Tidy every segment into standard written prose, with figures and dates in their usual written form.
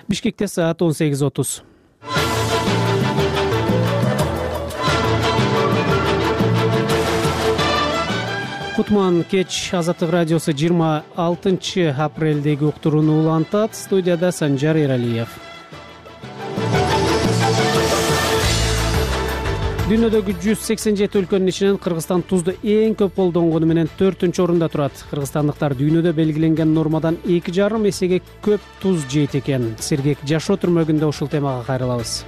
Бишкекте саат 18:30. Кутман кеч Азаттык радиосу 26 апрелдеги уктурууну улантат. Студияда Санжар Эралиев. Дүйнөдөгү 187 өлкөнүн ичинен Кыргызстан тузду эң көп колдонгону менен 4-орунда турат. Кыргызстандыктар дүйнөдө белгиленген нормадан 2,5 эсеге көп туз жейт экен. Сергек жашоо түрмөгүндө ушул темага кайрылабыз.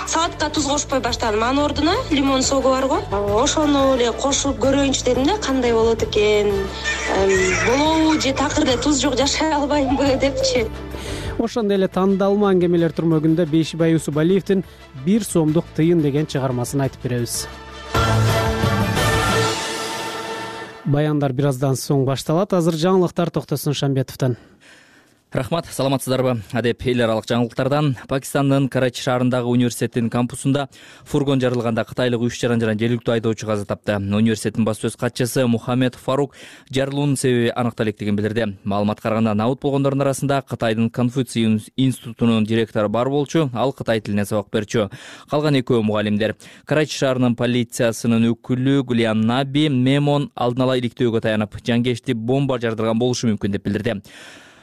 Салатка туз кошпой баштадым. Анын ордуна лимон согу барго. Ошону эле кошуп көрөйүнчү дедим да, кандай болот экен. Болобу же такыр эле туз жок жашай албаймынбы депчи. Ошондой эле тандалма аңгемелер турмөгүндө Бейшибай Усубалиевдин 1 сомдук тыйын деген чыгармасын айтып беребиз. Баяндар бир аздан соң башталат. Азыр жаңылыктар Токтосун Шамбетовдон. Рахмат, саламатсыздарбы? Адеп эл аралык жаңылыктардан Пакистандын Карачи шаарындагы университеттин кампусунда фургон жарылганда кытайлык 3 жаран жергиликтүү айдоочу каза тапты. Университеттин баш сөз катчысы Мухаммед Фарук жарылуунун себеби аныктала электигин билдирди. Маалыматка караганда набыт болгондордун арасында Кытайдын Конфуций институтунун директору бар болчу, ал кытай тилинен сабак берчү. Калган экөө мугалимдер. Карачи шаарынын полициясынын өкүлү Гулиан Наби Мемон алдын ала иликтөөгө таянып, жангечти бомба жардырган болушу мүмкүн деп билдирди.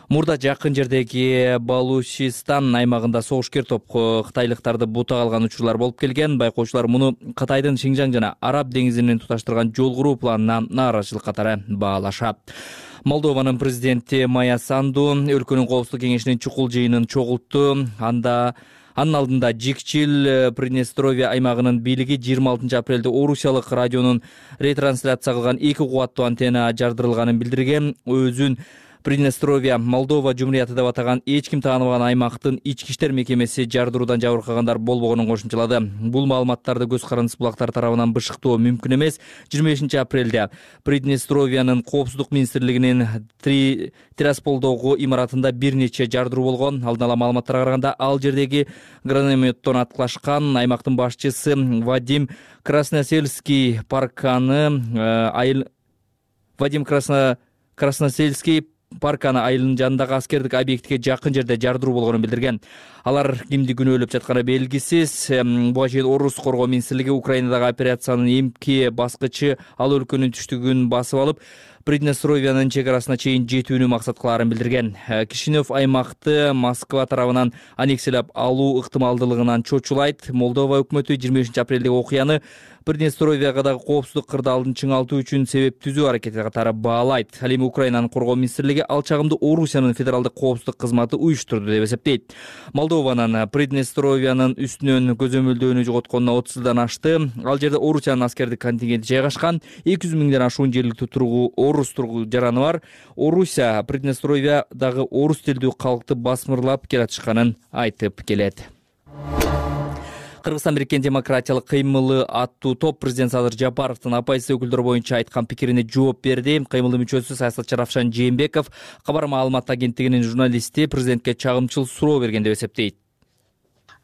Мурда жакын жердеги Балучистан аймагында согушкер топ кытайлыктарды бутага алган учурлар болуп келген. Байкоочулар муну Кытайдын Шинжаң жана Араб деңизинин туташтырган жол куруу планына нааразычылык катары баалашат. Молдованын президенти Майя Санду өлкөнүн коопсуздук кеңешинин чукул жыйынын чогултту. Анын алдында Жикчил Приднестровье аймагынын бийлиги 26 апрелде орусиялык радионун ретрансляция кылган 2 кубаттуу антенна жардырылганын билдирген. Өзүн Приднестровье Молдова жумурияты деп атаган эч ким тааныбаган аймактын ички иштер мекемеси жардыруудан жабыркагандар болбогонун кошумчалады. Бул маалыматтарды көз карандысыз булактар тарабынан бышыктоо мүмкүн эмес. 25 апрелде Приднестровьянын коопсуздук министрлигинин Тирасполдогу имаратында бир нече жардыруу болгон. Алдын ала маалыматтарга караганда ал жердеги гранометтон аткылашкан аймактын башчысы Вадим Красносельский Парканы айылынын жанындагы аскердик объектке жакын жерде жардыруу болгонун билдирген. Алар кимди күнөөлөп жатканы белгисиз. Буга чейин Орус коргоо министрлиги Украинадагы операциянын эмки баскычы ал өлкөнүн түштүгүн басып алып, Приднестровьянын чек арасына чейин жетүүнү максат кылаарын билдирген. Кишинев аймакты Москва тарабынан аннексиялап алуу ыктымалдуулугунан чочулайт. Молдова өкмөтү 25 апрелдеги окуяны Приднестровьягадагы коопсуздук кырдаалын чыңалтуу үчүн себеп түзүү аракети катары баалайт. Ал эми Украинанын коргоо министрлиги ал чагымды Орусиянын федералдык коопсуздук кызматы уюштурду деп эсептейт. Молдованын Приднестровьянын үстүнөн көзөмөлдөөнү жоготконуна 30 жылдан ашты. Ал жерде Орусиянын аскердик контингенти жайгашкан. 200 миңден ашуун жергиликтүү орус жараны бар. Орусия Приднестровьядагы орус тилдүү калкты басмырлап келатышканын айтып келет. Кыргызстан Бириккен демократиялык кыймылы аттуу топ президент Садыр Жапаровдун оппозиция өкүлдөрү боюнча айткан пикирине жооп берди. Кыймылдын мүчөсү саясатчы Равшан Жээнбеков кабар маалымат агенттигинин журналисти президентке чагымчыл суроо берген деп эсептейт.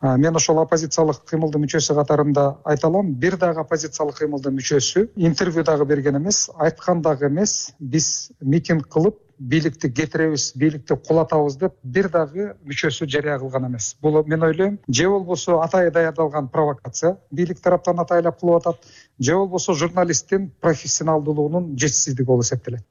Мен ошол оппозициялык кыймылдын мүчөсү катарында айта алам. Бир дагы оппозициялык кыймылдын мүчөсү интервью дагы берген эмес, айткан дагы эмес. Биз митинг кылып бийликти кетиребиз, бийликти кулатабыз деп бир дагы мүчөсү жарыя кылган эмес. Бул мен ойлойм, же болбосо атайы даярдалган провокация бийлик тараптан атайлап кылып атат, же болбосо журналисттин профессионалдуулугунун жетишсиздиги болуп эсептелет.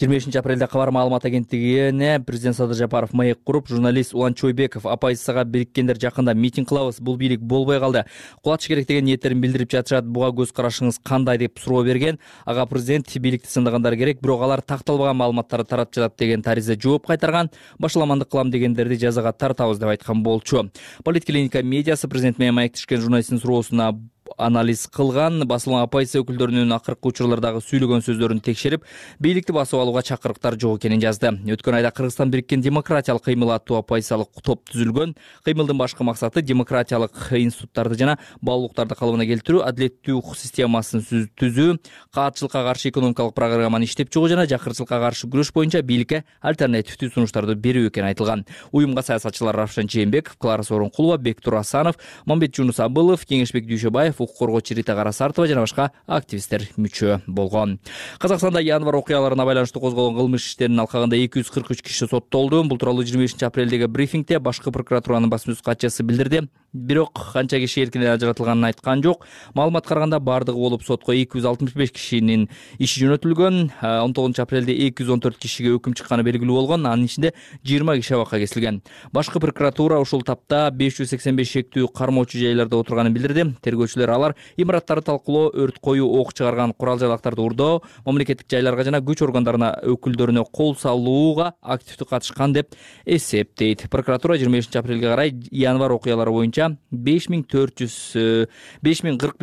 25 апрелде кабар маалымат агенттигине президент Садыр Жапаров маек куруп, журналист Улан Чойбеков оппозицияга бириккендер жакында митинг кылабыз, бул бийлик болбой калды, кулатыш керек деген ниеттерин билдирип жатышат, буга көз карашыңыз кандай деп суроо берген. Ага президент бийликти сындагандар керек, бирок алар такталбаган маалыматтарды таратып жатат деген таризде жооп кайтарган. Башаламандык кылам дегендерди жазага тартабыз деп айткан болчу. Политклиника медиасы президент менен маектешкен журналисттин суроосуна анализ кылган. Басылган оппозиция өкүлдөрүнүн акыркы учурлардагы сүйлөгөн сөздөрүн текшерип, бийликти басып алууга чакырыктар жок экенин жазды. Өткөн айда Кыргызстан Бириккен демократиялык кыймыл аттуу оппозициялык топ түзүлгөн. Кыймылдын башкы максаты демократиялык институттарды жана баалуулуктарды калыбына келтирүү, адилеттүү укук системасын түзүү, каатчылыкка каршы экономикалык программаны иштеп чыгуу жана жакырчылыкка каршы күрөш боюнча бийликке альтернативдүү сунуштарды берүү экени айтылган. Уюмга саясатчылар Равшан Жээнбеков, Клара Сооронкулова, Бектур Асанов, Мамбет Жунус Абылов, Кеңешбек Дүйшөбаев, укук коргоочу Рита Карасартова жана башка активисттер мүчө болгон. Казакстанда январь окуяларына байланыштуу козголгон кылмыш иштеринин алкагында 243 киши соттолду. Бул тууралуу 25-апрелдеги брифингде башкы прокуратуранын басма сөз катчысы билдирди. Бирок канча киши эркинен ажыратылганын айткан жок. Маалыматка караганда бардыгы болуп сотко 265 кишинин иши жөнөтүлгөн. 19-апрелде 214 кишиге өкүм чыкканы белгилүү болгон. Анын ичинде 20 киши абакка кесилген. Башкы прокуратура ушул тапта 585 шектүү кармоочу жайларда отурганын билдирди. Тергөөчүлөр алар имараттарды талкуулоо, өрт коюу, ок чыгарган курал-жайлактарды урдоо, мамлекеттик жайларга жана күч органдарына өкүлдөрүнө кол салууга активдүү катышкан деп эсептейт. Прокуратура 25-апрелге карай январь окуялары боюнча 5041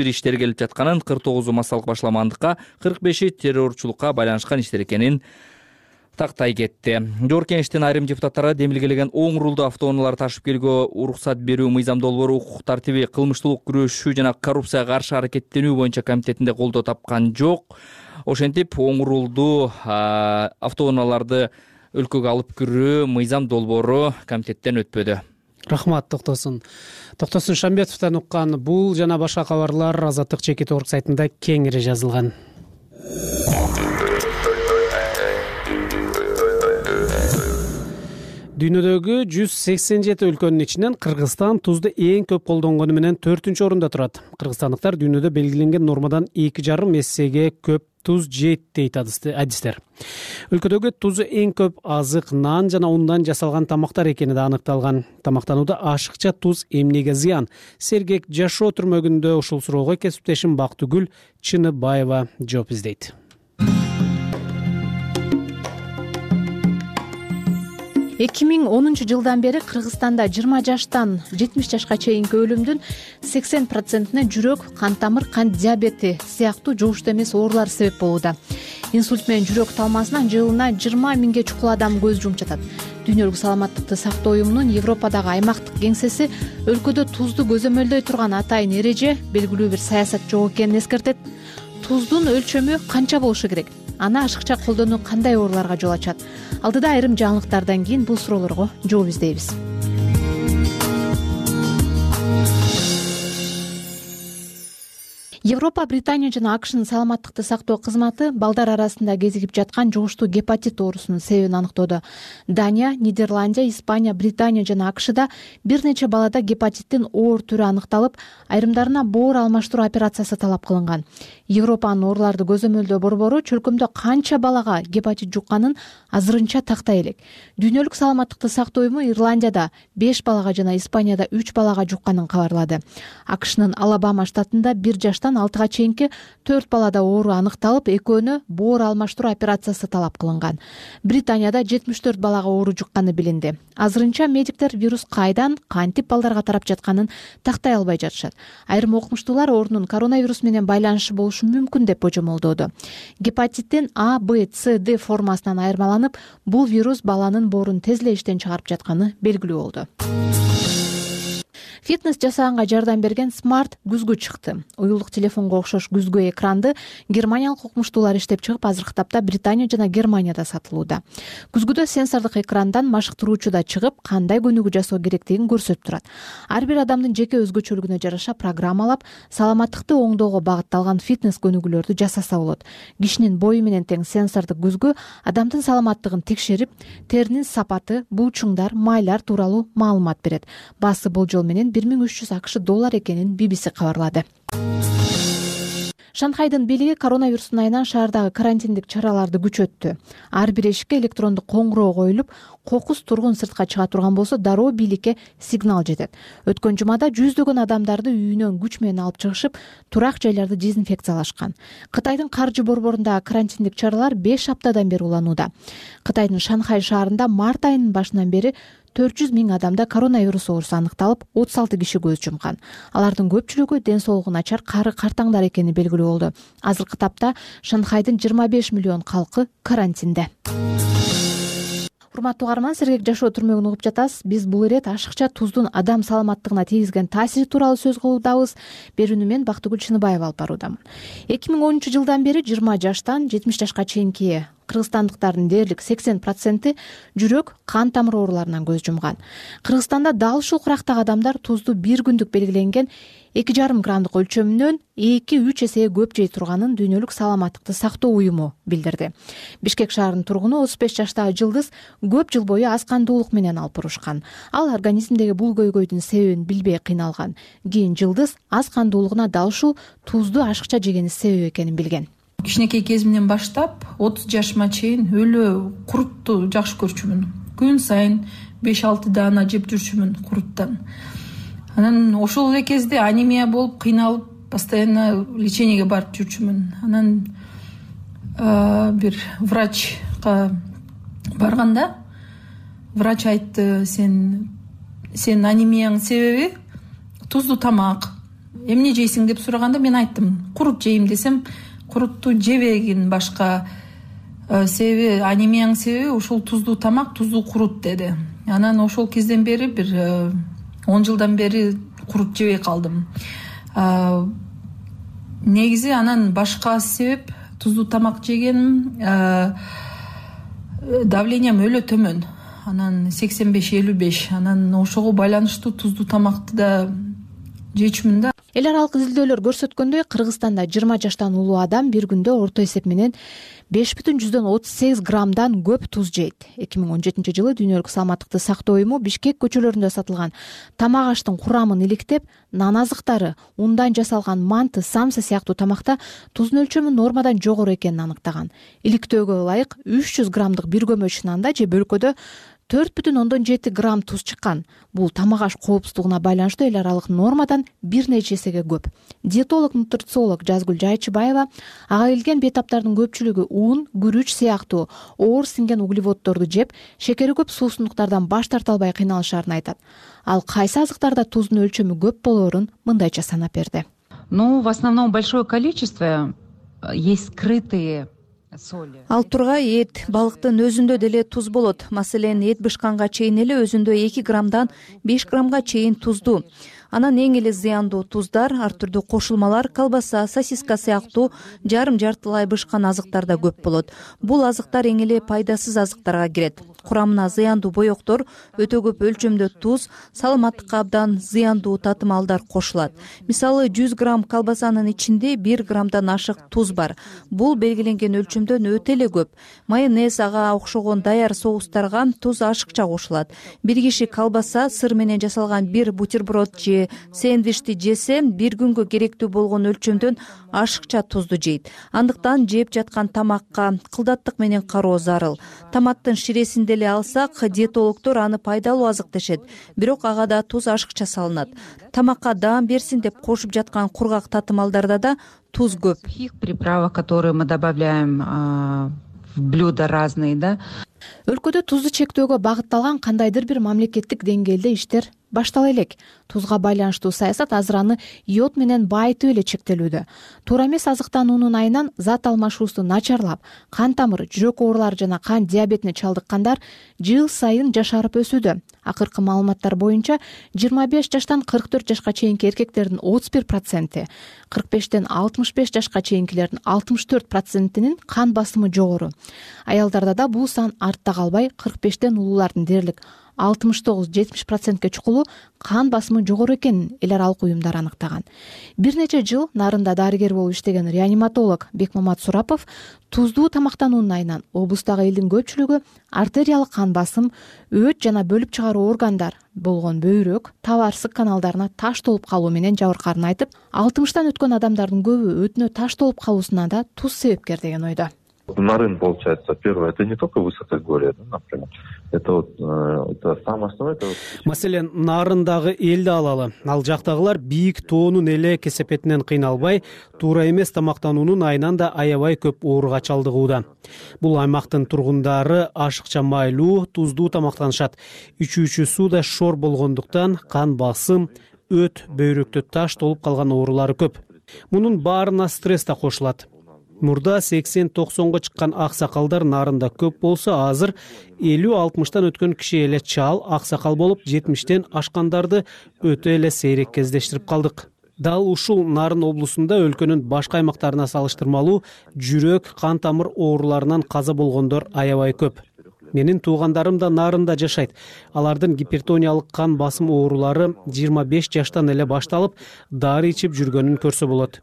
иштер келип жатканын, 49 массалык башламандыкка, 45 террорчулукка байланышкан иштер экенин тактай кетти. Жогорку Кеңештин айрым депутаттары демилгелеген оң рулдуу автоунаалар ташып келүүгө уруксат берүү мыйзам долбоору укук тартиби, кылмыштуулук күрөшүү жана коррупцияга каршы аракеттенүү боюнча комитетинде колдоо тапкан жок. Ошентип оң рулдуу автоунааларды өлкөгө алып кирүү мыйзам долбоору комитеттен өтпөдү. Рахмат, Токтосун Шамбетовдон уккан бул жана башка кабарлар Азаттык чекит орг сайтында кеңири жазылган. Дүйнөдөгү 187 өлкөнүн ичинен Кыргызстан тузду эң көп колдонгону менен 4-орунда турат. Кыргызстандыктар дүйнөдө белгиленген нормадан 2,5 эсеге көп туз жейт дейт адистер. Өлкөдөгү тузу эң көп азык, нан жана ундан жасалган тамактар экени да аныкталган. Тамактанууда ашыкча туз эмнеге зыян? Сергек жашоо түрмөгүндө ушул суроого кесиптешим Бактыгүл Чыныбаева жооп издейт. 2010 жылдан бери Кыргызстанда 20 жаштан 70 жашка чейинки өлүмдүн 80%-не жүрөк, кан тамыр, кант диабети сыяктуу жугуштуу эмес оорулар себеп болууда. Инсульт менен жүрөк талмасынан жылына 20 миңге чукул адам көз жумуп жатат. Дүйнөлүк саламаттыкты сактоо уюмунун Европадагы аймактык кеңсеси өлкөдө тузду көзөмөлдөй турган атайын эреже, белгилүү бир саясат жок экенин эскертет. Туздун өлчөмү канча болушу керек? Аны ашыкча колдонуу кандай ооруларга жол ачат? Алдыда айрым жаңылыктардан кийин бул суроолорго жооп издейбиз. Европа, Британия жана АКШнын саламаттыкты сактоо кызматы балдар арасында кезигип жаткан жугуштуу гепатит оорусунун себебин аныктоодо. Дания, Нидерландия, Испания, Британия жана АКШда бир нече балада гепатиттин оор түрү аныкталып, айрымдарына боор алмаштыруу операциясы талап кылынган. Европанын ооруларды көзөмөлдөө борбору чөлкөмдө канча балага гепатит жукканын азырынча тактай элек. Дүйнөлүк саламаттыкты сактоо уюму Ирландияда 5 балага жана Испанияда 3 балага жукканын кабарлады. АКШнын Алабама штатында 1 жаштан 6-га чейинки 4 балада оору аныкталып, экөөнө боор алмаштыруу операциясы талап кылынган. Британияда 74 балага оору жукканы билинди. Азырынча медиктер вирус кайдан, кантип балдарга тарап жатканын тактай албай жатышат. Айрым окумуштуулар оорунун коронавирус менен байланышы болушу мүмкүн деп божомолдоодо. Гепатиттин А, Б, С, Д формасынан айырмаланып, бул вирус баланын боорун тез эле иштен чыгарып жатканы белгилүү болду. Фитнес жасаганга жардам берген смарт күзгү чыкты. Уюлдук телефонго окшош күзгү экранды германиялык окумуштуулар иштеп чыгып, азыркы тапта Британия жана Германияда сатылууда. Күзгүдө сенсордук экрандан машыктыруучу да чыгып, кандай көнүгүү жасоо керектигин көрсөтүп турат. Ар бир адамдын жеке өзгөчөлүгүнө жараша программалап, саламаттыкты оңдоого багытталган фитнес көнүгүүлөрдү жасаса болот. Кишинин бою менен тең сенсордук күзгү адамдын саламаттыгын текшерип, теринин сапаты, буучуңдар, майлар тууралуу маалымат берет. Баасы болжол менен $1300 экенин BBC кабарлады. Шанхайдын бийлиги коронавирустун айынан шаардагы карантиндик чараларды күчөттү. Ар бир эшикке электрондук коңгуроо коюлуп, кокус тургун сыртка чыга турган болсо, дароо бийликке сигнал жетет. Өткөн жумада жүздөгөн адамдарды үйүнөн күч менен алып чыгышып, турак жайларды дезинфекциялашкан. Кытайдын каржы борборундагы карантиндик чаралар 5 аптадан бери уланууда. Кытайдын Шанхай шаарында март айынын башынан бери 400 миң адамда коронавирус оорусу аныкталып, 36 киши көз жумкан. Алардын көпчүлүгү ден соолугу начар кары картаңдар экени белгилүү болду. Азыркы тапта Шанхайдын 25 миллион калкы карантинде. Урматтуу угарман, сергек жашоо түрмөгүн угуп жатасыз. Биз бул ирет ашыкча туздун адам саламаттыгына тийгизген таасири тууралуу сөз кылуудабыз. Берүүнү мен Бактыгүл Чыныбаева алып баруудамын. 2010 жылдан бери 20 жаштан 70 жашка чейинки кыргызстандыктардын дээрлик 80% жүрөк, кан тамыр ооруларынан көз жумган. Кыргызстанда дал ушул курактагы адамдар тузду бир күндүк белгиленген 2,5 граммдык өлчөмүнөн 2-3 эсеге көп жей турганын Дүйнөлүк саламаттыкты сактоо уюму билдирди. Бишкек шаарынын тургуну 35 жаштагы Жылдыз көп жыл бою аз кандуулук менен алып урушкан. Ал организмдеги бул көйгөйдүн себебин билбей кыйналган. Кийин Жылдыз аз кандуулугуна дал ушул тузду ашыкча жегени себеп экенин билген. Кичинекей кезимден баштап 30 жашыма чейин өлө курутту жакшы көрчүмүн. Күн сайын 5-6 даана жеп жүрчүмүн куруттан. Анан ошол эле кезде анемия болуп кыйналып, постоянно лечениеге барып жүрчүмүн. Анан бир врачка барганда врач айтты, сен анемияң себеби туздуу тамак. Эмне жейсиң деп сураганда мен айттым, курут жейм десем, курутту жебегин башка, себеби анемияң себеби ушул туздуу тамак, туздуу курут деди. Анан ошол кезден бери бир 10 жылдан бери курут жебей калдым. Негизи анан башка себеп туздуу тамак жегеним, давлениям өлө төмөн. Анан 85-55. Анан ошого байланыштуу туздуу тамакты да жечүмүн да. Эл аралык изилдөөлөр көрсөткөндөй, Кыргызстанда 20 жаштан улуу адам бир күндө орто эсеп менен 5,38 граммдан көп туз жейт. 2017 жылы Дүйнөлүк саламаттыкты сактоо уюму Бишкек көчөлөрүндө сатылган тамак аштын курамын иликтеп, нан азыктары, ундан жасалган манты, самса сыяктуу тамакта туздун өлчөмү нормадан жогору экенин аныктаган. Иликтөөгө ылайык 300 граммдык бир көмөч нанда же бөлкөдө 4,7 грамм туз чыккан. Бул тамак аш коопсуздугуна байланыштуу эл аралык нормадан бир нече эсеге көп. Диетолог, нутрициолог Жазгүл Жайчыбаева ага келген бейтаптардын көпчүлүгү ун, күрүч сыяктуу оор сиңген углеводдорду жеп, шекери көп суусундуктардан баш тарта албай кыйналышарын айтат. Ал кайсы азыктарда туздун өлчөмү көп болоорун мындайча санап берди. В основном большое количество есть скрытые. Ал тургай эт, балыктын өзүндө деле туз болот. Маселен, эт бышканга чейин эле өзүндө 2 граммдан 5 граммга чейин туздуу. Анан эң эле зыяндуу туздар, ар түрдүү кошулмалар, колбаса, сосиска сыяктуу жарым-жартылай бышкан азыктарда көп болот. Бул азыктар эң эле пайдасыз азыктарга кирет. Курамына зыяндуу боектор, өтө көп өлчөмдө туз, саламаттыкка абдан зыяндуу татымалдар кошулат. Мисалы, 100 грамм колбасанын ичинде 1 граммдан ашык туз бар. Бул белгиленген өлчөмдөн өтө эле көп. Майонез, ага окшогон даяр соустарга туз ашыкча кошулат. Бир киши колбаса, сыр менен жасалган бир бутерброд же сэндвичти жесе, бир күнгө керектүү болгон өлчөмдөн ашыкча тузду жейт. Андыктан жеп жаткан тамакка кылдаттык менен кароо зарыл. Томаттын ширесин деле алсак, диетологдор аны пайдалуу азык дешет, бирок ага да туз ашыкча салынат. Тамакка даам берсин деп кошуп жаткан кургак татымалдарда да туз көп. Приправа, которые мы добавляем в блюда разные, да. Өлкөдө тузду чектөөгө багытталган кандайдыр бир мамлекеттик деңгээлде иштер баштала элек. Тузга байланыштуу саясат азыр аны йод менен байытып эле чектелүүдө. Туура эмес азыктануунун айынан зат алмашуусу начарлап, кан тамыр, жүрөк оорулары жана кан диабетине чалдыккандар жыл сайын жашарып өсүүдө. Акыркы маалыматтар боюнча 25 жаштан 44 жашка чейинки эркектердин 31%, 45-тен 65 жашка чейинкилердин 64%нин кан басымы жогору. Аялдарда да бул сан артта калбай, 45-тен улуулардын дээрлик 69-70%ке чукулуу кан басымы жогору экенин эл аралык уюмдар аныктаган. Бир нече жыл Нарында дарыгер болуп иштеген реаниматолог Бекмамат Сурапов туздуу тамактануунун айынан облустагы элдин көпчүлүгү артериялык кан басым, өт жана бөлүп чыгаруу органдар болгон бөйрөк, табарсык каналдарына таш толуп калуу менен жабыркаарын айтып, 60тан өткөн адамдардын көбү өтүнө таш толуп калуусуна да туз себепкер деген ойдо. Нарын, получается, первое, это не только высокогорье, да, например, это самое основное. Маселен, Нарындагы элди алалы. Ал жактагылар бийик тоонун эле кесепетинен кыйналбай, туура эмес тамактануунун айынан да аябай көп ооруга чалдыгууда. Бул аймактын тургундары ашыкча майлуу, туздуу тамактанышат. Ичүүчү суу да шор болгондуктан кан басым, өт, бөйрөктө таш толуп калган оорулары көп. Мунун баарына стресс да кошулат. Мурда 80-90го чыккан аксакалдар Нарында көп болсо, азыр 50-60тан өткөн киши эле чал, аксакал болуп, 70тен ашкандарды өтө эле сейрек кездештирип калдык. Дал ушул Нарын облусунда өлкөнүн башка аймактарына салыштырмалуу жүрөк, кан тамыр ооруларынан каза болгондор аябай көп. Менин туугандарым да нарында жашайт. Алардын гипертониялык кан басым оорулары 25 жаштан эле башталып, дары ичип жүргөнүн көрсө болот.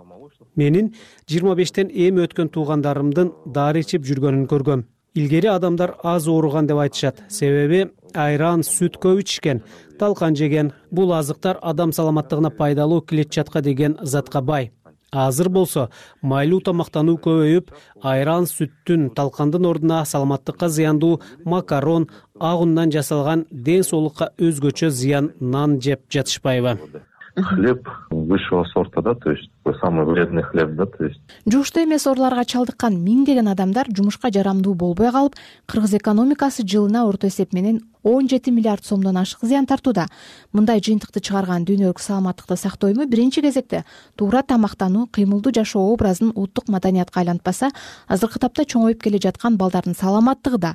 Менин 25тен эми өткөн туугандарымдын дары ичип жүргөнүн көргөм. Илгери адамдар аз ооруган деп айтышат. Себеби айран, сүт көп ичишкен, талкан жеген. Бул азыктар адам саламаттыгына пайдалуу клетчатка деген затка бай. Азыр болсо майлуу тамактануу көбөйүп, айран, сүттүн, талкандын ордуна саламаттыкка зыяндуу макарон, ак ундан жасалган ден соолукка өзгөчө зыян нан жеп жатышпайбы? Хлеб высшего сорта, да, то есть самый вредный хлеб, да, то есть. Жугуштуу эмес ооруларга чалдыккан миңдеген адамдар жумушка жарамдуу болбой калып, кыргыз экономикасы жылына орто эсеп менен 17 миллиард сомдон ашык зыян тартууда. Мындай жыйынтыкты чыгарган Дүйнөлүк саламаттыкты сактоо уюму биринчи кезекте туура тамактануу, кыймылдуу жашоо образын улуттук маданиятка айлантпаса, азыркы тапта чоңоюп келе жаткан балдардын саламаттыгы да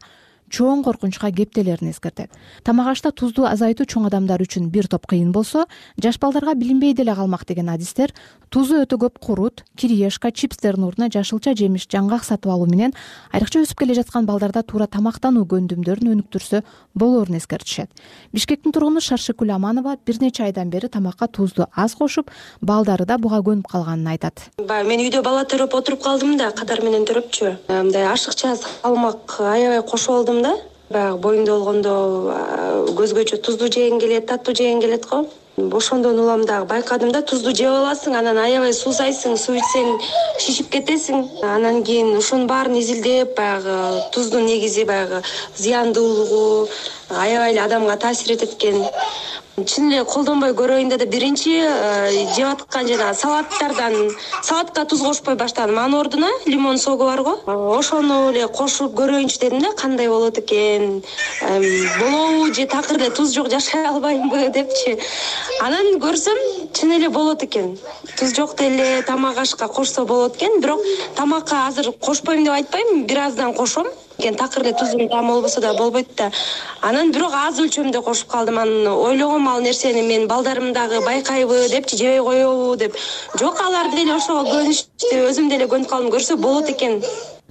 чоң коркунучка кептелерин эскертет. Тамак ашта тузду азайтуу чоң адамдар үчүн бир топ кыйын болсо, жаш балдарга билинбей деле калмак деген адистер тузу өтө көп курут, кириешка, чипстердин ордуна жашылча жемиш, жаңгак сатып алуу менен айрыкча өсүп келе жаткан балдарда туура тамактануу көндүмдөрүн өнүктүрсө болоорун эскертишет. Бишкектин тургуну Шаршыкүл Аманова бир нече айдан бери тамакка тузду аз кошуп, балдары да буга көнүп калганын айтат. Мен үйдө бала төрөп отуруп калдым да, катар менен төрөпчү. Мындай ашыкча салмак аябай кошуп алдым да. Баягы боюмда болгондо көзгөчө тузду жеген келет, таттуу жеген келет го. Ошондон улам дагы байкадым да, тузду жеп аласың, анан аябай суусайсың, суу ичсең шишип кетесиң. Анан кийин ошонун баарын изилдеп, баягы туздун негизи баягы зыяндуулугу аябай эле адамга таасир этет экен. Чын эле колдонбой көрөйүн да биринчи жеп аткан жана салатка туз кошпой баштадым. Анын ордуна лимон согу барго. Ошону эле кошуп көрөйүнчү дедим да, кандай болот экен. Болобу же такыр эле туз жок жашай албаймынбы депчи. Анан көрсөм, чын эле болот экен. Туз жок деле тамак ашка кошсо болот экен, бирок тамакка азыр кошпойм деп айтпайм, бир аздан кошом. Такыр эле туздун таамы болбосо да болбойт да. Анан бирок аз өлчөмдө кошуп калдым. Анан ойлогом ал нерсени мен балдарым дагы байкайбы депчи, жебей коебу деп. Жок, алар деле ошого көнүштү, өзүм деле көнүп калдым, көрсө болот экен.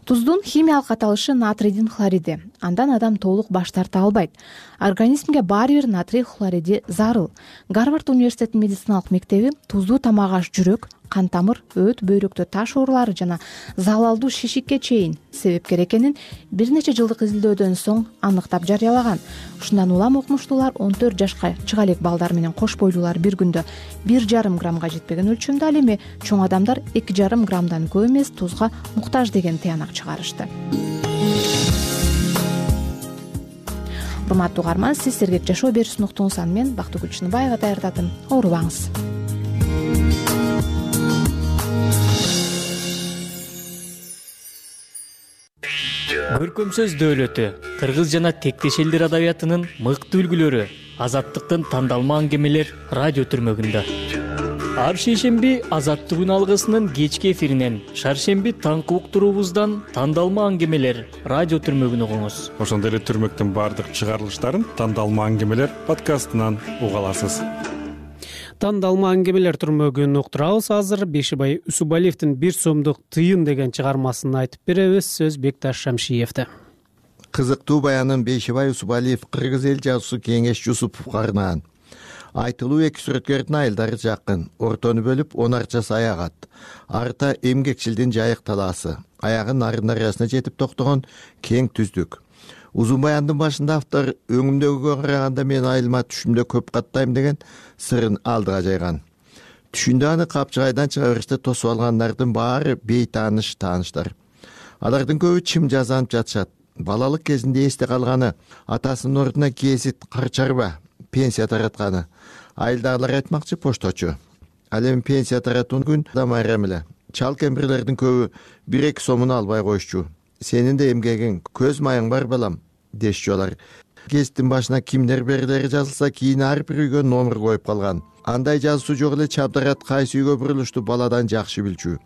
Туздун химиялык аталышы натрийдин хлориди. Андан адам толук баш тарта албайт. Организмге баары бир натрий хлориди зарыл. Гарвард университетинин медициналык мектеби туздуу тамак аш жүрөк, кан тамыр, өт, бөйрөктө таш оорулары жана залалдуу шишикке чейин себепкер экенин бир нече жылдык изилдөөдөн соң аныктап жарыялаган. Ушундан улам окумуштуулар 14 жашка чыга элек балдар менен кош бойлуулар бир күндө 1,5 граммга жетпеген өлчөмдө, ал эми чоң адамдар 2,5 граммдан көп эмес тузга муктаж деген тыянак чыгарышты. Урматтуу угарман, сиз сергек жашоо берүүсүн уктуңуз. Мен Бактыгүл Чыныбаева даярдадым. Оорубаңыз. Көркөм сөз дөөлөтү, кыргыз жана тектеш элдер адабиятынын мыкты үлгүлөрү, азаттыктын тандалма аңгемелер радио түрмөгүндө. Ар шейшемби Азаттык күн алгысынын кечки эфиринен, шаршемби таңкы уктуруубуздан тандалма аңгемелер радио түрмөгүн угуңуз. Ошондой эле түрмөктүн баардык чыгарылыштарын тандалма аңгемелер подкастынан уга аласыз. Тандалма аңгемелер түрмөгүн уктурабыз. Азыр Бешибай Усубалиевдин «Бир сомдук тыйын» деген чыгармасын айтып беребиз. Сөз Бекташ Шамшиевде. Кызыктуу баянын Бешибай Усубалиев кыргыз эл жазуусу Кеңеш Жусуповго арнаган. Айтылуу эки сүрөткөрдүн айылдары жакын, ортону бөлүп 10 арча саягат. Арта эмгекчилдин жайык талаасы, аягы нарын дарыясына жетип токтогон кең түздүк. Узун баяндын башында автор өңүмдөгүгө караганда мен айылыма түшүмдө көп каттайм деген сырын алдыга жайган. Түшүндө аны Капчыгайдан чыга бериште тосуп алгандардын баары бейтааныштар. Алардын көбү чым жазанып жатышат. Балалык кезинде эсте калганы атасынын ордуна гезит, карчарба, пенсия таратканы. Айылдагылар айтмакчы пошточу. Ал эми пенсия таратуун күн да майрам эле. Чал кемпирлердин көбү 1-2 сомун албай коюшчу. Сенин да эмгегиң, көз майың бар балам, дешчү алар. Гезиттин башына кимдер берилери жазылса, кийин ар бир үйгө номер коюп калган. Андай жазуусу жок эле чабдарат кайсы үйгө бурулушту баладан жакшы билчү.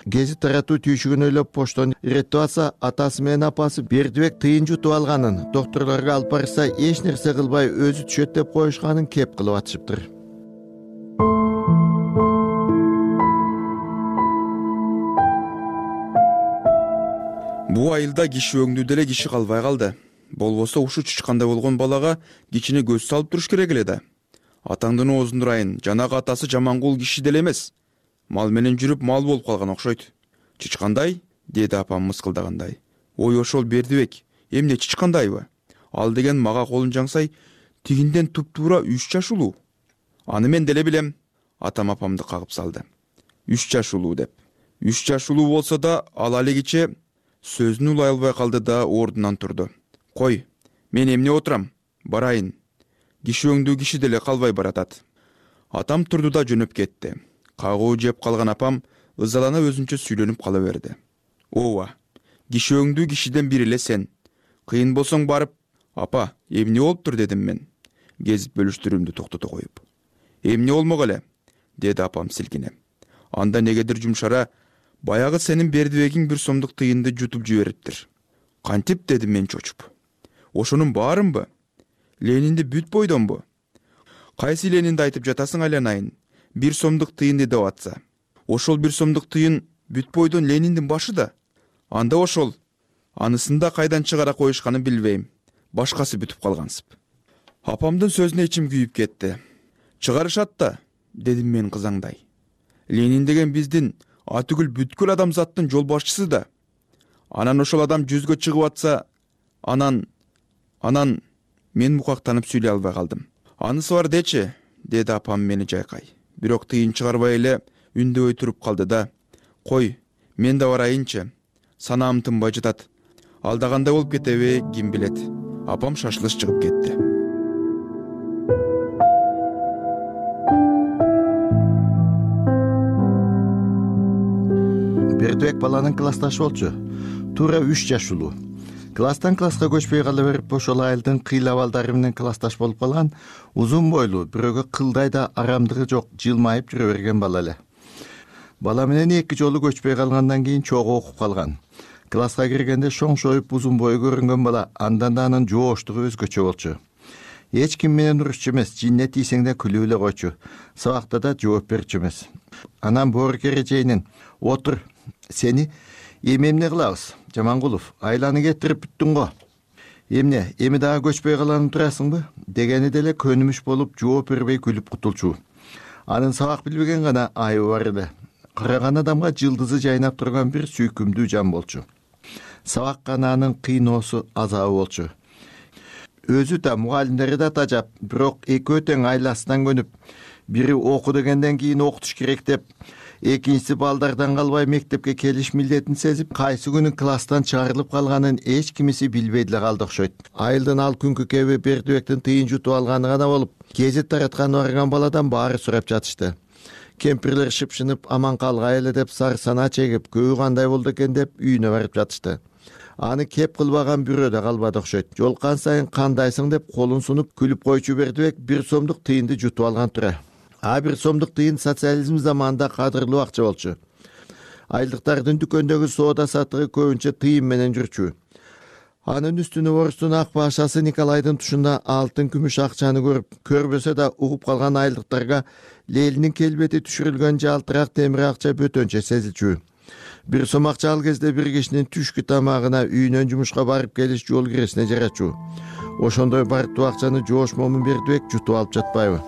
Гезит таратуу түйшүгүн ойлоп поштон иреттип атса, атасы менен апасы Бердибек тыйын жутуп алганын, доктурларга алып барса эч нерсе кылбай өзү түшөт деп коюшканын кеп кылып атышыптыр. Бул айылда киши өңдү деле киши калбай калды. болбосо ушу чычкандай болгон балага кичине көз салып туруш керек эле да. Атаңдын оозун урайын, жанагы атасы жамангул киши деле эмес. Мал менен жүрүп мал болуп калган окшойт. Чычкандай? Деди апам мыскылдагандай. Ой, ошол Бердибек, эмне чычкандайбы? Ал деген мага колун жаңсай, тигинден туп-туура 3 жаш улуу. Аны мен деле билем. Атам апамды кагып салды. 3 жаш улуу деп. 3 жаш улуу болсо да, ал алигиче сөзүн улай албай калды да ордунан турду. Кой, мен эмне отурам? Барайын. Киши өңдүү киши деле калбай баратат. Атам турду да жөнөп кетти. Кагуу жеп калган апам ызалана өзүнчө сүйлөнүп кала берди. Ооба, киши өңдүү кишиден бири эле сен. Кыйын болсоң барып, апа, эмне болуптур дедим мен, кезип бөлүштүрүүмдү токтото коюп. Эмне болмок эле, деди апам силкине. Анда негедир жумшара, баягы сенин Бердибегиң 1 сомдук тыйынды жутуп жибериптир. Кантип, дедим мен чочуп. Ошонун баарынбы? Ленинди бүт бойдонбу? Кайсы Ленинди айтып жатасың айланайын? 1 сомдук тыйын деп атса. Ошол 1 сомдук тыйын бүт бойдон Лениндин башы да. Анда ошол. Анысында кайдан чыгара коюшканын билбейм. Башкасы бүтүп калгансып. Апамдын сөзүнө ичим күйүп кетти. Чыгарышат да, дедим мен кызаңдай. Ленин деген биздин атүгүл бүткүл адамзаттын жол башчысы да. Анан ошол адам жүзгө чыгып атса, анан мен мукактанып сүйлөй албай калдым. Анысы бар дечи, деди апам мени жайкай. Бирок тыйын чыгарбай эле үндөбөй туруп калды да. Кой, мен да барайынчы. Санаам тынбай жатат. Алдагандай болуп кетеби, ким билет. Апам шашылыш чыгып кетти. Бердибек баланын классташы болчу. Туура 3 жаш улуу. Класстан класска көчпөй кала берип, ошол айылдын кыйла балдары менен классташ болуп калган узун бойлуу, бирөөгө кылдай да арамдыгы жок, жылмайып жүрө берген бала эле. Бала менен 2 жолу көчпөй калгандан кийин чогуу окуп калган. Класска киргенде шоңшоюп узун бою көрүнгөн бала, андан да анын жооштугу өзгөчө болчу. Эч ким менен урушчу эмес, жинне тийсең да күлүп эле койчу. Сабакта да жооп берчү эмес. Анан боорукер эрежейинен: "Отур, сени эмне кылабыз? Жамангулов, айланы кетирип бүттүң го. Эми дагы көчпөй калганы турасыңбы?" дегени деле көнүмүш болуп, жооп бербей күлүп кутулчу. Анын сабак билбеген гана айыбы бар эле. Караган адамга жылдызы жайнап турган бир сүйкүмдүү жан болчу. Сабак гана анын кыйноосу, азабы болчу. Өзү да, мугалимдери да тажап, бирок экөө тең айласынан көнүп, бири оку дегенден кийин окутуш керек деп, экинчиси балдардан калбай мектепке келиш милдетин сезип, кайсы күнү класстан чыгарылып калганын эч кимиси билбей деле калды окшойт. Айылдын ал күнкү кеби Бердибектин тыйын жутуп алганы гана болуп, гезит таратканы барган баладан баары сурап жатышты. Кемпирлер шыпшынып, аман калгай эле деп сар сана чегип, кöyү кандай болду экен деп үйүнө барып жатышты. Аны кеп кылбаган бирөө да калбады окшойт. Жолкан сайын "Кандайсың?" деп колун сунуп күлүп койчу Бердибек 1 сомдук тыйынды жутуп алган тура. 1 сомдук тыйын социализм заманында кадырлуу акча болчу. Айылдыктардын дүкөндөгү соода сатыгы көбүнчө тыйын менен жүрчү. Анын үстүнө орустун ак башасы Николайдын тушунда алтын күмүш акчаны көрүп, көрбөсө да угуп калган айылдыктарга Лелинин келбети түшүрүлгөн жалтырак темир акча бөтөнчө сезилчү. 1 сом акча ал кезде бир кишинин түшкү тамагына, үйүнөн жумушка барып келиш жол киресине жарачу. Ошондой барктуу акчаны жоош момун Бердибек жутуп алып жатпайбы?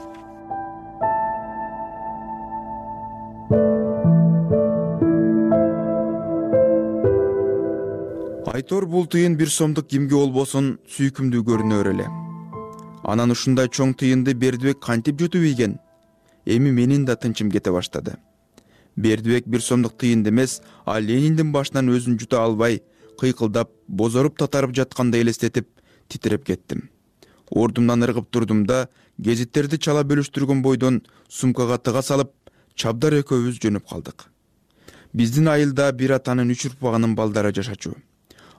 Айтор бул тыйын 1 сомдук кимге болбосун сүйкүмдүү көрүнөр эле. Анан ушундай чоң тыйынды Бердибек кантип жутуп ийген? Эми менин да тынчым кете баштады. Бердибек 1 сомдук тыйынды эмес, а Лениндин башынан өзүн жута албай, кыйкылдап, бозоруп татарып жаткандай элестетип, титиреп кеттим. Ордумдан ыргып турдум да, гезиттерди чала бөлүштүргөн бойдон сумкага тыга салып, Чабдар экөөбүз жөнөп калдык. Биздин айылда бир атанын 3 урпагынын балдары жашачу.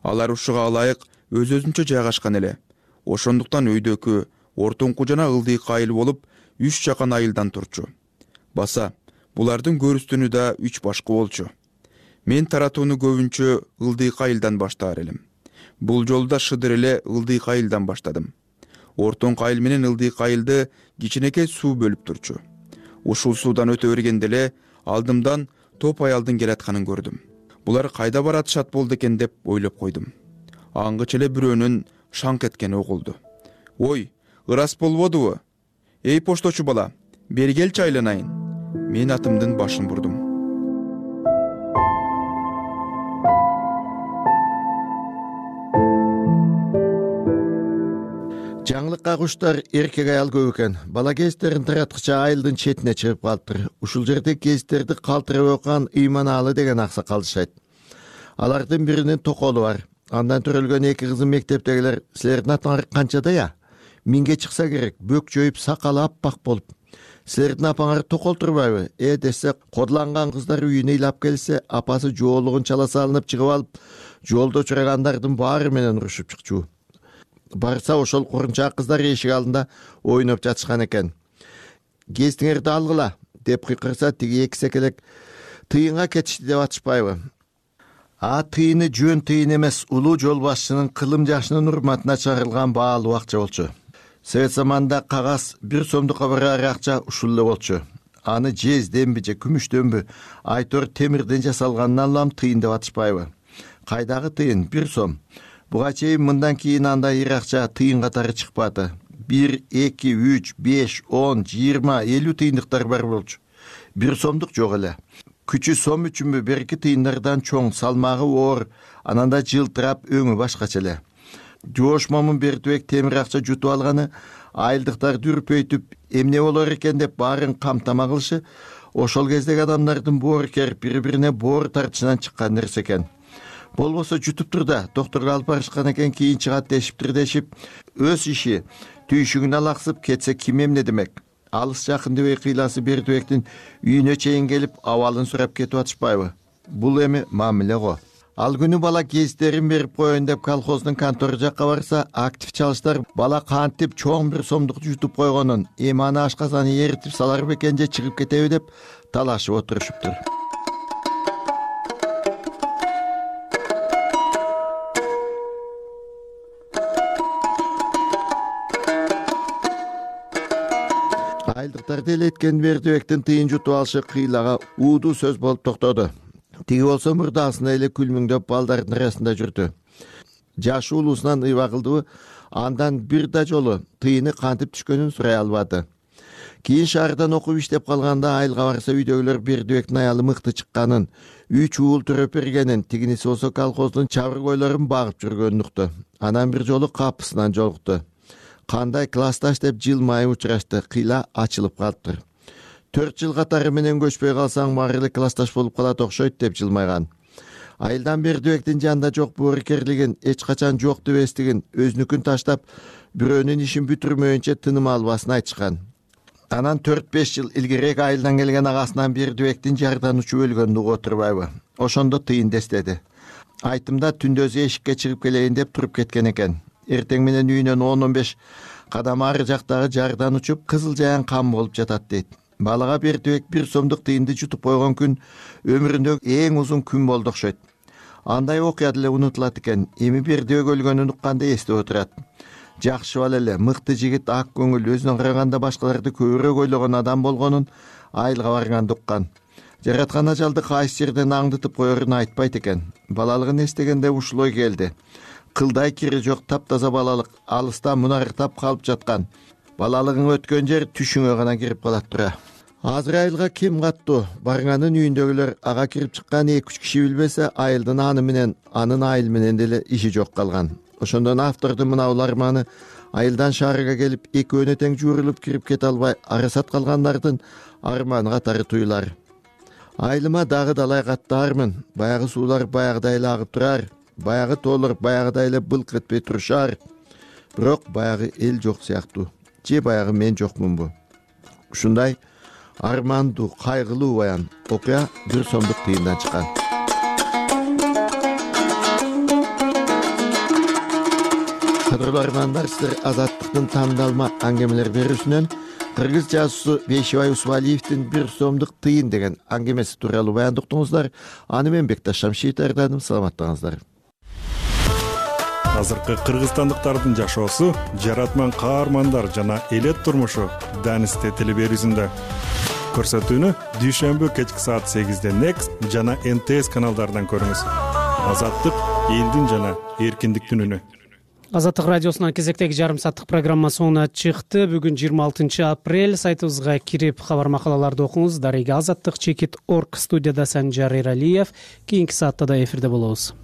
Алар ушуга ылайык өз-өзүнчө жайгашкан эле. Ошондуктан өйдөкү, ортоңку жана ылдыйкы айыл болуп, 3 жакан айылдан турчу. Баса, булардын көрүстүнү да 3 башкы болчу. Мен таратууну көбүнчө ылдыйкы айылдан баштаар элем. Бул жолу да шыдыр эле ылдыйкы айылдан баштадым. Ортоңку айыл менен ылдыйкы айылды кичинекей суу бөлүп турчу. Ушул суудан өтө бергенде эле алдымдан топ аялдын келатканын көрдүм. Булар кайда баратышат болду экен деп ойлоп койдум. Аңгыча эле бирөөнүн шаңк эткени угулду. Ой, ырас болбодубу? Эй пошточу бала, бери келчи айланайын. Мен атымдын башын бурдум. Жаңылыкка куштар эркек аял көп экен. Бала кездерин тараткыча айылдын четине чыгып калыптыр. Ушул жерде кездерди калтырып окуган Ыйманаалы деген аксакал жашайт. Алардын биринин токолу бар. Андан төрөлгөн эки кызы мектептегилер. Силердин атаңар канчада? Минге чыкса керек, бөк жоюп сакалы аппак болуп. Силердин апаңар токол турбайбы? Десе, кодланган кыздар үйүнө ыйлап келсе, апасы жоолугун чала салынып чыгып алып, жолдо учурагандардын баары менен урушуп чыкчу. Барса ошол курунчак кыздар эшик алдында ойноп жатышкан экен. Кезиңерди алгыла деп кыйкырса, тиги эки секелек тыйынга кетишти деп атышпайбы? Тыйыны жөн тыйын эмес, улуу жол башчынын кылым жашынын урматына чыгарылган баалуу акча болчу. Совет заманында кагаз 1 сомдукка барар акча ушул эле болчу. Аны жезденби же күмүштөнбү, айтор темирден жасалганынан улам тыйын деп атышпайбы? Кайдагы тыйын 1 сом. Буга чейин мындан кийин андай ир акча тыйын катары чыкпады. 1, 2, 3, 5, 10, 20, 50 тыйындыктар бар болчу. 1 сомдук жок эле. Күчү сом үчүнбү берки тыйындардан чоң, салмагы оор, ананда жылтырап өңү башкача эле. Жоош Момун Бердибек темир акча жутуп алганы айылдыктарды үрпөйтүп, эмне болор экен деп баарын камтама кылышы ошол кездеги адамдардын боорукер бири-бирине боор тартышынан чыккан нерсе экен. Болбосо жутуптур да, докторго алып барышкан экен, кийин чыгат дешиптир, өз иши түйшүгүнө алаксып кетсе ким эмне демек? Алыс жакын дебей кыйласы Бердибектин үйүнө чейин келип абалын сурап кетип атышпайбы? Бул эми мамиле го. Ал күнү бала кездерин берип коеюн деп колхоздун контору жакка барса, актив чалыштар бала кантип чоң 1 сомдук жутуп койгонун, эми аны ашказаны эритип салар бекен же чыгып кетеби деп талашып отурушуптур. Айылдыктарды элеткен Бердибектин тыйын жутуп алышы кыйлага уудуу сөз болуп токтоду. Тиги болсо мурдасына эле күлмүңдөп балдардын арасында жүрдү. Жашы улуусунан ыйба кылдыбы, андан бир да жолу тыйыны кантип түшкөнүн сурай албады. Кийин шаардан окуп иштеп калганда айылга барса, үйдөгүлөр Бердибектин аялы мыкты чыкканын, 3 уул төрөп бергенин, тигиниси болсо колхоздун чабыр койлорун багып жүргөнүн укту. Анан бир жолу капысынан жолукту. Кандай классташ деп жылмайып учурашты, кыйла ачылып калыптыр. 4 жыл катары менен көчпөй калсаң, баары эле классташ болуп калат окшойт деп жылмайган. Айылдан Бердибектин жанында жок боорукерлигин, эч качан жок дебестигин, өзүнүкүн таштап, бирөөнүн ишин бүтүрмөйүнчө тыным албасын айтышкан. Анан 4-5 жыл илгерээк айылдан келген агасынан Бердибектин жарданучу өлгөнүн угуп отурбайбы? Ошондо тыйын дестеди. Айтымда түндөзү эшикке чыгып келейин деп туруп кеткен экен. Эртең менен үйүнөн 10-15 кадам ары жактагы жардан учуп, кызыл жаян кам болуп жатат дейт. Балага Бердибек 1 сомдук тыйынды жутуп койгон күн өмүрүндөгү эң узун күн болду окшойт. Андай окуя деле унутулат экен. Эми Бердибек өлгөнүн укканда эстеп отурат. Жакшы бала эле, мыкты жигит, ак көңүл, өзүнө караганда башкаларды көбүрөөк ойлогон адам болгонун айылга барганда уккан. Жараткан ажалды кайсы жерден аңдытып коерун айтпайт экен. Балалыгын эстегенде ушул ой келди. Кылдай кири жок таптаза балалык, алыста мунарыктап калып жаткан. Балалыгың өткөн жер түшүңө гана кирип калат тура. Азыр айылга ким каттуу? Барганын үйүндөгүлөр ага кирип чыккан 2-3 киши билбесе, айылдын аны менен, анын айыл менен деле иши жок калган. Ошондон автордун мына арманы айылдан шаарга келип, экөөнө тең жуурулуп кирип кете албай арасат калгандардын арманы катары туюлар. Айылыма дагы далай каттаармын. Баягы суулар баягыдай эле агып турар. Баягы тоолор баягыдай эле былк этпей турушар. Бирок баягы эл жок сыяктуу. Же баягы мен жокмунбу? Ушундай армандуу, кайгылуу баян окуя 1 сомдук тыйындан чыккан. Кадырлуу армандар, сиздер Азаттыктын тандалма аңгемелер берүүсүнөн кыргыз жазуусу Бейшибай Усубалиевдин 1 сомдук тыйын деген аңгемеси тууралуу баяндуктуңуздар. Аны мен Бекташ Шамшиев даярдадым. Саламаттыңыздар. Азыркы кыргызстандыктардын жашоосу, жаратман каармандар жана элет турмушу Данисте телеберүүсүндө. Көрсөтүүнү дүйшөмбү кечки саат 8-де Next жана НТС каналдарынан көрүңүз. Азаттык элдин жана эркиндиктин үнү. Азаттык радиосунун кезектеги жарым сааттык программа соңуна чыкты. Бүгүн 26 апрель. Сайтыбызга кирип кабар макалаларды окуңуз. Дарыга Азаттык чекит.org. Студияда Санжар Эралиев. Кийинки саатта да эфирде болобуз.